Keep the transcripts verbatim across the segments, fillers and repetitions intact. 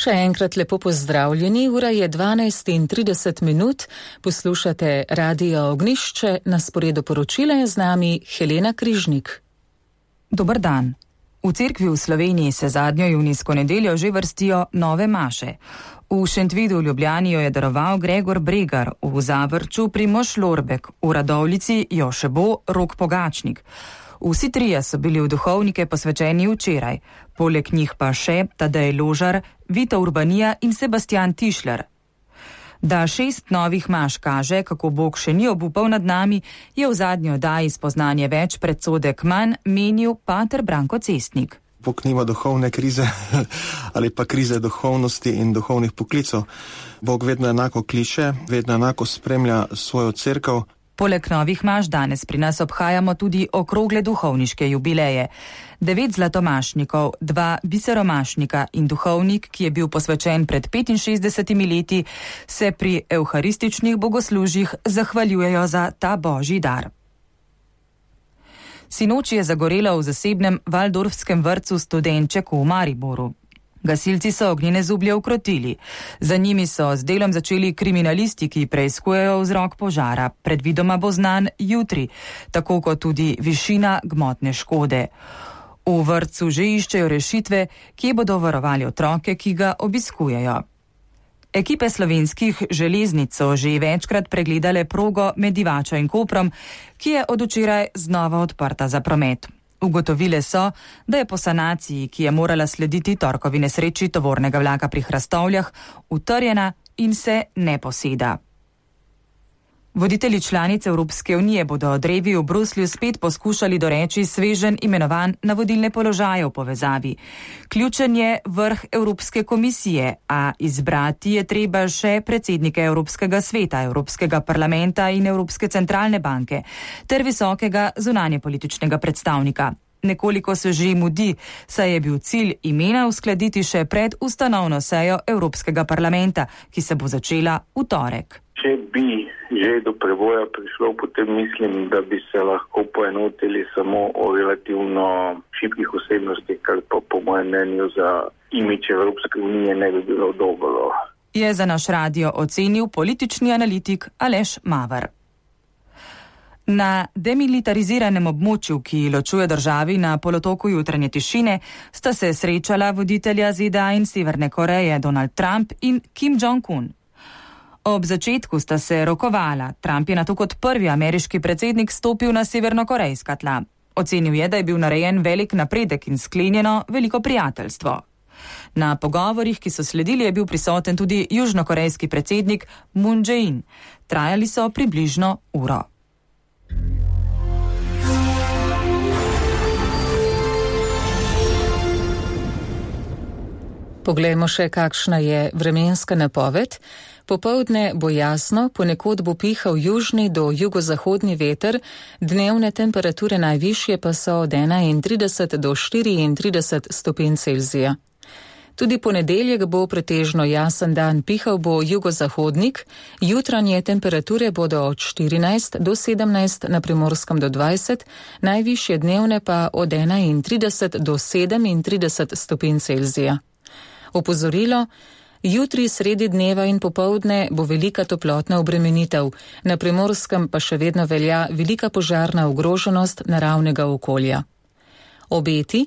Še enkrat lepo pozdravljeni, ura je dvanajst in trideset minut, poslušate Radio Ognjišče, na sporedu poročila je z nami Helena Križnik. Dober dan. V cerkvi v Sloveniji se zadnjo junijsko nedeljo že vrstijo nove maše. V Šentvidu v Ljubljani jo je daroval Gregor Bregar, v Zavrču Primož Lorbek, v Radovljici jo še bo Rok Pogačnik. Vsi trije so bili v duhovnike posvečeni včeraj, poleg njih pa še Tadej Ložar, Vita Urbanija in Sebastian Tišler. Da šest novih maš kaže, kako Bog še ni obupal nad nami, je v zadnji oddaji Spoznanje več predsodek manj menil pater Branko Cestnik. Bog nima duhovne krize ali pa krize duhovnosti in duhovnih poklicov. Bog vedno enako kliče, vedno enako spremlja svojo cerkev. Poleg novih maš danes pri nas obhajamo tudi okrogle duhovniške jubileje. Devet zlatomašnikov, dva biseromašnika in duhovnik, ki je bil posvečen pred petinšestdesetimi leti, se pri evharističnih bogoslužjih zahvaljujejo za ta božji dar. Sinoči je zagorelo v zasebnem Valdorfskem vrtcu Studenček v Mariboru. Gasilci so ognjene zublje ukrotili. Za njimi so z delom začeli kriminalisti, ki preiskujejo vzrok požara. Predvidoma bo znan jutri, tako kot tudi višina gmotne škode. V vrtcu že iščejo rešitve, kje bodo varovali otroke, ki ga obiskujejo. Ekipe slovenskih železnic so že večkrat pregledale progo med Divačo in Koprom, ki je od včeraj znova odprta za promet. Ugotovile so, da je po sanaciji, ki je morala slediti torkovi nesreči tovornega vlaka pri Hrastovljah, utrjena in se ne poseda. Voditelji članic Evropske unije bodo od Revi v Bruslju spet poskušali doreči sveženj imenovan na vodilne položaje v povezavi. Ključen je vrh Evropske komisije, a izbrati je treba še predsednike Evropskega sveta, Evropskega parlamenta in Evropske centralne banke ter visokega zunanjepolitičnega predstavnika. Nekoliko se že mudi, saj je bil cilj imena uskladiti še pred ustanovno sejo Evropskega parlamenta, ki se bo začela v torek. Če bi že do preboja prišlo, potem mislim, da bi se lahko poenotili samo o relativno šibkih osebnostih, kar pa po mojem mnenju za imidž Evropske unije ne bi bilo dobro. Je za naš radio ocenil politični analitik Aleš Maver. Na demilitariziranem območju, ki ločuje državi na polotoku jutranje tišine, sta se srečala voditelja Z D A in Severne Koreje Donald Trump in Kim Jong-un. Ob začetku sta se rokovala. Trump je nato kot prvi ameriški predsednik stopil na severnokorejska tla. Ocenil je, da je bil narejen velik napredek in sklenjeno veliko prijateljstvo. Na pogovorih, ki so sledili, je bil prisoten tudi južnokorejski predsednik Moon Jae-in. Trajali so približno uro. Poglejmo še, kakšna je vremenska napoved. Popoldne bo jasno, ponekod bo pihal južni do jugozahodni veter, dnevne temperature najvišje pa so od enaintrideset do štiriintrideset stopinj Celzija. Tudi ponedeljek bo pretežno jasen dan, pihal bo jugozahodnik, jutranje temperature bodo od štirinajst do sedemnajst, na Primorskem do dvajset, najvišje dnevne pa od enaintrideset do sedemintrideset stopinj Celzija. Opozorilo, jutri sredi dneva in popoldne bo velika toplotna obremenitev, na Primorskem pa še vedno velja velika požarna ogroženost naravnega okolja. Obeti,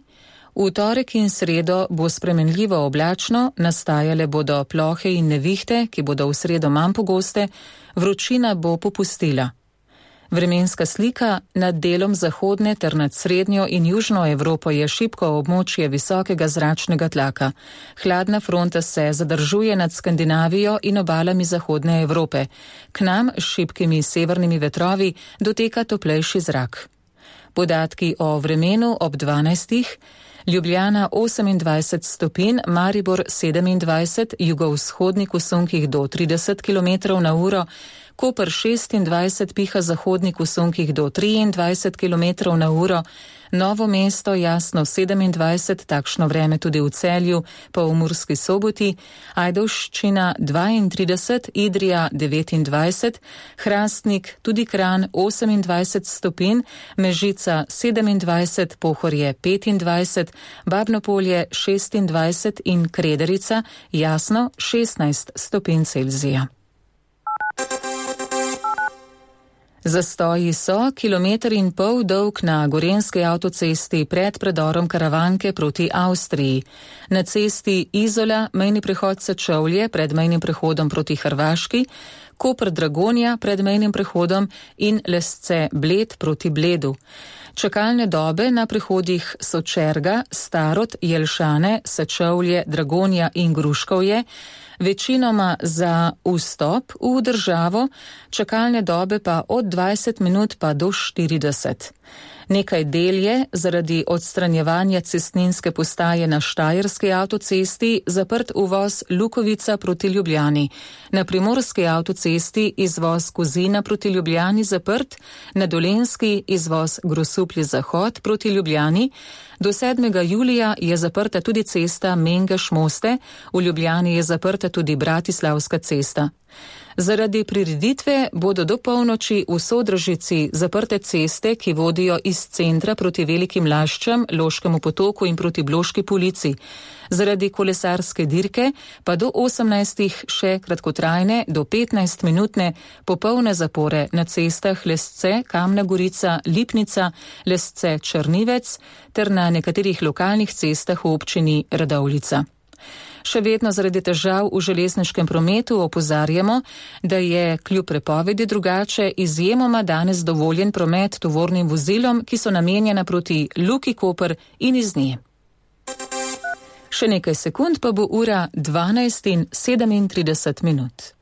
v torek in sredo bo spremenljivo oblačno, nastajale bodo plohe in nevihte, ki bodo v sredo manj pogoste, vročina bo popustila. Vremenska slika nad delom zahodne ter nad srednjo in južno Evropo je šibko območje visokega zračnega tlaka. Hladna fronta se zadržuje nad Skandinavijo in obalami zahodne Evrope. K nam s šibkimi severnimi vetrovi doteka toplejši zrak. Podatki o vremenu ob dvanajstih. Ljubljana osemindvajset stopinj, Maribor sedemindvajset, jugovzhodnik v sunkih do trideset kilometrov na uro, Koper šestindvajset, piha zahodnik v sunkih do triindvajset kilometrov na uro, Novo Mesto jasno sedemindvajset, takšno vreme tudi v Celju, pa v Murski Soboti, Ajdovščina dvaintrideset, Idrija devetindvajset, Hrastnik, tudi Kranj osemindvajset stopinj, Mežica sedemindvajset, Pohorje petindvajset, Babnopolje šestindvajset in Krederica jasno šestnajst stopinj Celzija. Zastoji so kilometer in pol dolg na Gorenjski avtocesti pred predorom Karavanke proti Avstriji. Na cesti Izola, mejni prehod Sečovlje pred mejnim prehodom proti Hrvaški, Koper Dragonja pred mejnim prehodom in Lesce Bled proti Bledu. Čakalne dobe na prehodih Sočerga, Starod, Jelšane, Sečovlje, Dragonja in Gruškovje, večinoma za vstop v državo, čakalne dobe pa od dvajset minut pa do štirideset. Nekaj del je zaradi odstranjevanja cestninske postaje na Štajerski avtocesti zaprt uvoz Lukovica proti Ljubljani. Na Primorski avtocesti izvoz Kozina proti Ljubljani zaprt, na Dolenjski izvoz Grosuplje Zahod proti Ljubljani. Do sedmega julija je zaprta tudi cesta Mengeš-Moste, v Ljubljani je zaprta tudi Bratislavska cesta. Zaradi prireditve bodo do polnoči v Sodražici zaprte ceste, ki vodijo iz centra proti Velikim Laščam, Loškemu potoku in proti Bloški Polici. Zaradi kolesarske dirke pa do osemnajstih še kratkotrajne, do petnajst minutne popolne zapore na cestah Lesce, Kamna Gorica, Lipnica, Lesce Črnivec ter na nekaterih lokalnih cestah v občini Radovljica. Še vedno zaradi težav v železniškem prometu opozarjamo, da je kljub prepovedi drugače izjemoma danes dovoljen promet tovornim vozilom, ki so namenjena proti Luki Koper in iz nje. Še nekaj sekund pa bo ura dvanajst in sedemintrideset minut.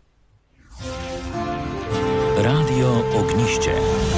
Radio Ognjišče.